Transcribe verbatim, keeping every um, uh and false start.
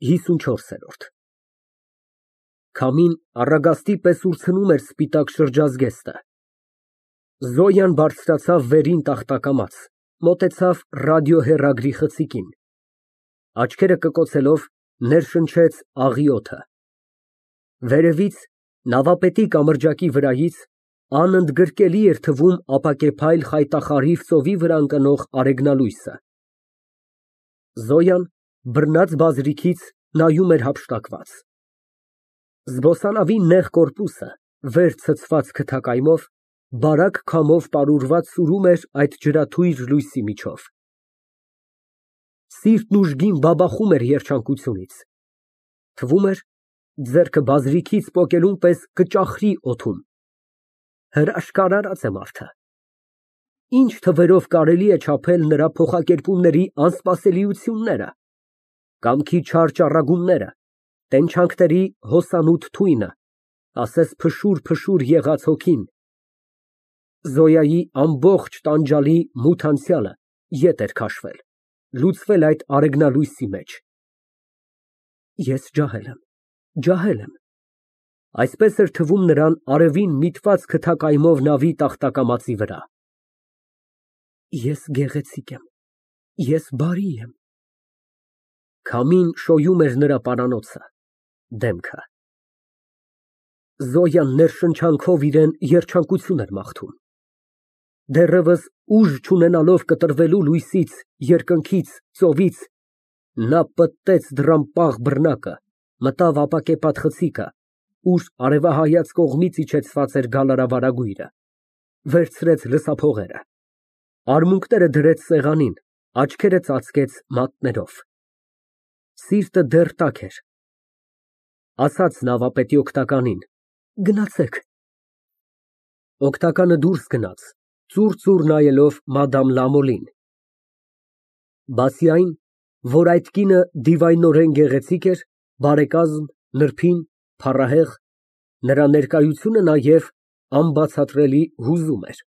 ՀԻսունչորս Քամին առագաստի պես ուրցնում էր սպիտակ շրջազգեստը։ Զոյան բարձրացավ վերին տախտակամաց, մոտեցավ ռադիոհեռագրի խցիկին, աչքերը կկոցելով, ներշնչեց աղի օդը։ Վերևից, նավապետի կամրջակի վրայից, անընդգրկելի էր թվում ապակեփայլ խայտախարիվ ծովի վրա ընկնող արեգնալույսը։ Զոյան, բռնած բազրիքից, նայում էր հափշտակված։ Զբոսանավի նեղ կորպուսը, վեր ցցված քթակայմով, բարակ քամով պարուրված սուրում էր այդ ջրաթույր լույսի միջով։ Սիրտն ուժգին բաբախում էր երջանկությունից։ Թվում էր, ձեռքը բազրիքից պոկելուն պես կճախրի օդում։ Հրաշքարարած է մարդը։ Ինչ թվերով կարելի է չափել նրա փոխակերպումների անսպասելիությունները, կամքի չար ճառագումները, տենչանքների հոսանոթ թույնը, ասես փշուր֊փշուր եղած հոգին։ Զոյայի ամբողջ տանջալի մութ անցյալը ետ էր քաշվել, լուծվել այդ արեգնալույսի մեջ։ Ես ջահել եմ, ջահել եմ։ Այսպես էր թվում նրան արևին միտված քթակայմով նավի տախտակամածի վրա։ Ես գեղեցիկ եմ, ես բարի եմ։ Քամին շոյում էր նրա պարանոցը, դեմքը։ Զոյան ներշնչանքով իրան երջանկություն էր մաղթում։ Դեռևս ուժ չունենալով կտրվելու լույսից, երկնքից, ծովից, նա պտտեց դռան պաղ բռնակը, մտավ ապակեպատ խցիկը, ուր արևահայաց կողմից իջեցված էր գալարավարագույրը, վերցրեց լսափողերը, արմունկները դրեց սեղանին, աչքերը ծածկեց մատներով։ Սիրտը դեռ տաք էր։ Ասաց նավապետի օգնականին. «Գնացեք»։ Օգնականը դուրս գնաց, ծուռ֊ծուռ նայելով մադամ Լամոլին։ Բացի այն, որ այդ կինը դիվայնորեն գեղեցիկ էր, բարեկազմ, նրբին, փառահեղ, նրա ներկայությունը նաև անբացատրելի հուզում էր։